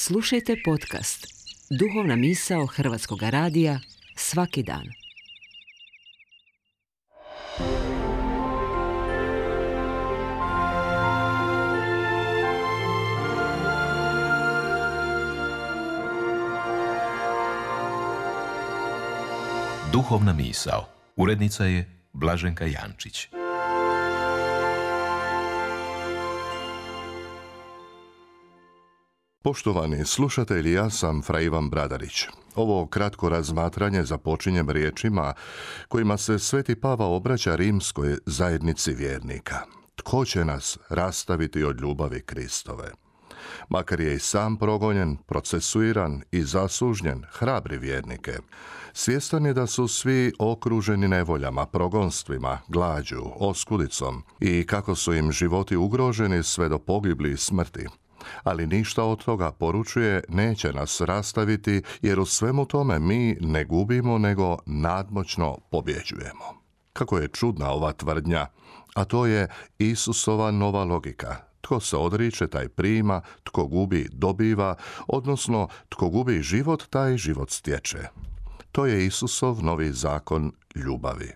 Slušajte podcast Duhovna misao Hrvatskog radija svaki dan. Duhovna misao. Urednica je Blaženka Jančić. Poštovani slušatelji, ja sam fra Ivan Bradarić. Ovo kratko razmatranje započinjem riječima kojima se Sveti Pavao obraća rimskoj zajednici vjernika. Tko će nas rastaviti od ljubavi Kristove? Makar je i sam progonjen, procesuiran i zasužnjen, hrabri vjernike. Svjestan je da su svi okruženi nevoljama, progonstvima, glađu, oskudicom i kako su im životi ugroženi sve do pogibli i smrti. Ali ništa od toga, poručuje, neće nas rastaviti, jer u svemu tome mi ne gubimo, nego nadmoćno pobjeđujemo. Kako je čudna ova tvrdnja, a to je Isusova nova logika. Tko se odriče, taj prima, tko gubi, dobiva, odnosno tko gubi život, taj život stječe. To je Isusov novi zakon ljubavi.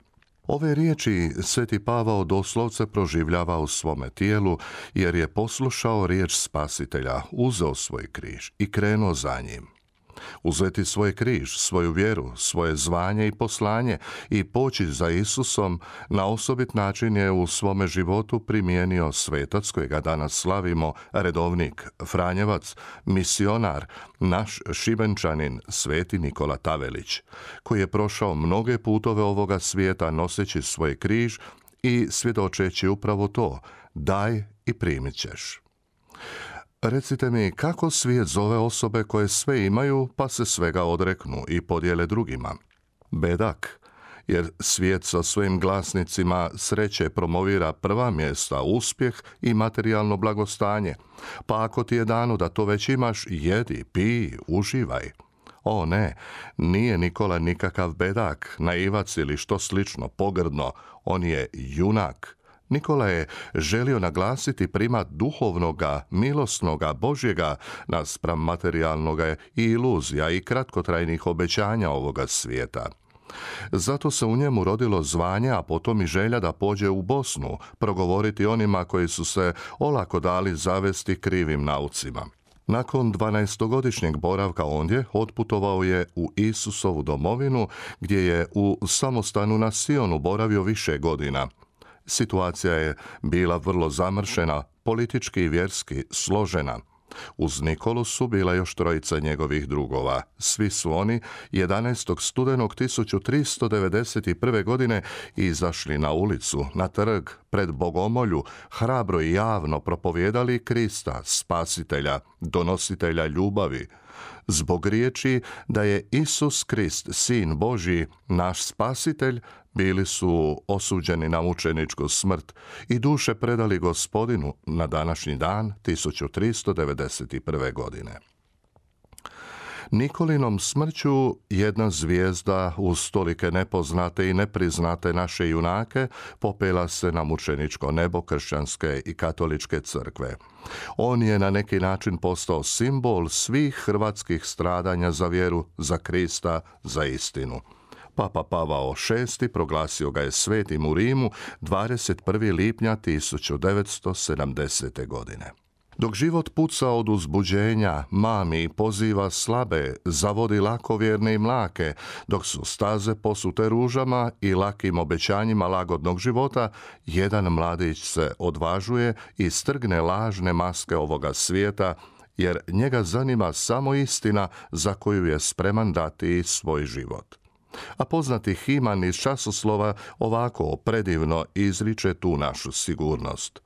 Ove riječi Sveti Pavao doslovce proživljava u svome tijelu, jer je poslušao riječ Spasitelja, uzeo svoj križ i krenuo za njim. Uzeti svoj križ, svoju vjeru, svoje zvanje i poslanje i poći za Isusom na osobit način je u svome životu primijenio svetac kojega danas slavimo, redovnik, franjevac, misionar, naš Šibenčanin, Sveti Nikola Tavelić, koji je prošao mnoge putove ovoga svijeta noseći svoj križ i svjedočeći upravo to: daj i primit ćeš. Recite mi, kako svijet zove osobe koje sve imaju pa se svega odreknu i podijele drugima? Bedak, jer svijet sa svojim glasnicima sreće promovira prva mjesta, uspjeh i materijalno blagostanje. Pa ako ti je dano da to već imaš, jedi, pij, uživaj. O ne, nije Nikola nikakav bedak, naivac ili što slično, pogrdno, on je junak. Nikola je želio naglasiti primat duhovnoga, milosnoga, Božjega naspram materijalnoga i iluzija i kratkotrajnih obećanja ovoga svijeta. Zato se u njemu rodilo zvanje, a potom i želja da pođe u Bosnu, progovoriti onima koji su se olako dali zavesti krivim naucima. Nakon 12-godišnjeg boravka ondje, otputovao je u Isusovu domovinu, gdje je u samostanu na Sionu boravio više godina. Situacija je bila vrlo zamršena, politički i vjerski složena. Uz Nikolu su bila još trojica njegovih drugova. Svi su oni 11. studenog 1391. godine izašli na ulicu, na trg, pred Bogomolju, hrabro i javno propovijedali Krista, Spasitelja, donositelja ljubavi. Zbog riječi da je Isus Krist, Sin Božji, naš Spasitelj, bili su osuđeni na mučeničku smrt i duše predali Gospodinu na današnji dan 1391. godine. Nikolinom smrću jedna zvijezda uz tolike nepoznate i nepriznate naše junake popela se na mučeničko nebo kršćanske i katoličke crkve. On je na neki način postao simbol svih hrvatskih stradanja za vjeru, za Krista, za istinu. Papa Pavao VI proglasio ga je svetim u Rimu 21. lipnja 1970. godine. Dok život puca od uzbuđenja, mami i poziva slabe, zavodi lakovjerne i mlake, dok su staze posute ružama i lakim obećanjima lagodnog života, jedan mladić se odvažuje i strgne lažne maske ovoga svijeta, jer njega zanima samo istina za koju je spreman dati svoj život. A poznati Himan iz časoslova ovako predivno izriče tu našu sigurnost.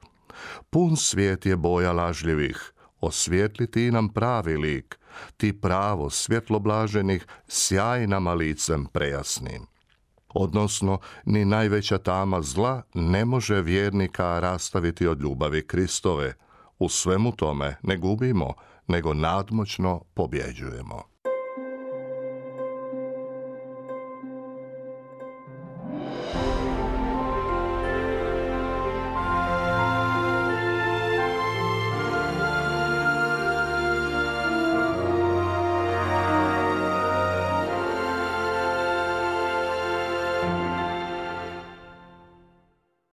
Pun svijet je boja lažljivih, osvijetli ti nam pravi lik, ti pravo svjetlo blaženih, sjaj nama licem prejasnim. Odnosno, ni najveća tama zla ne može vjernika rastaviti od ljubavi Kristove. U svemu tome ne gubimo, nego nadmoćno pobjeđujemo.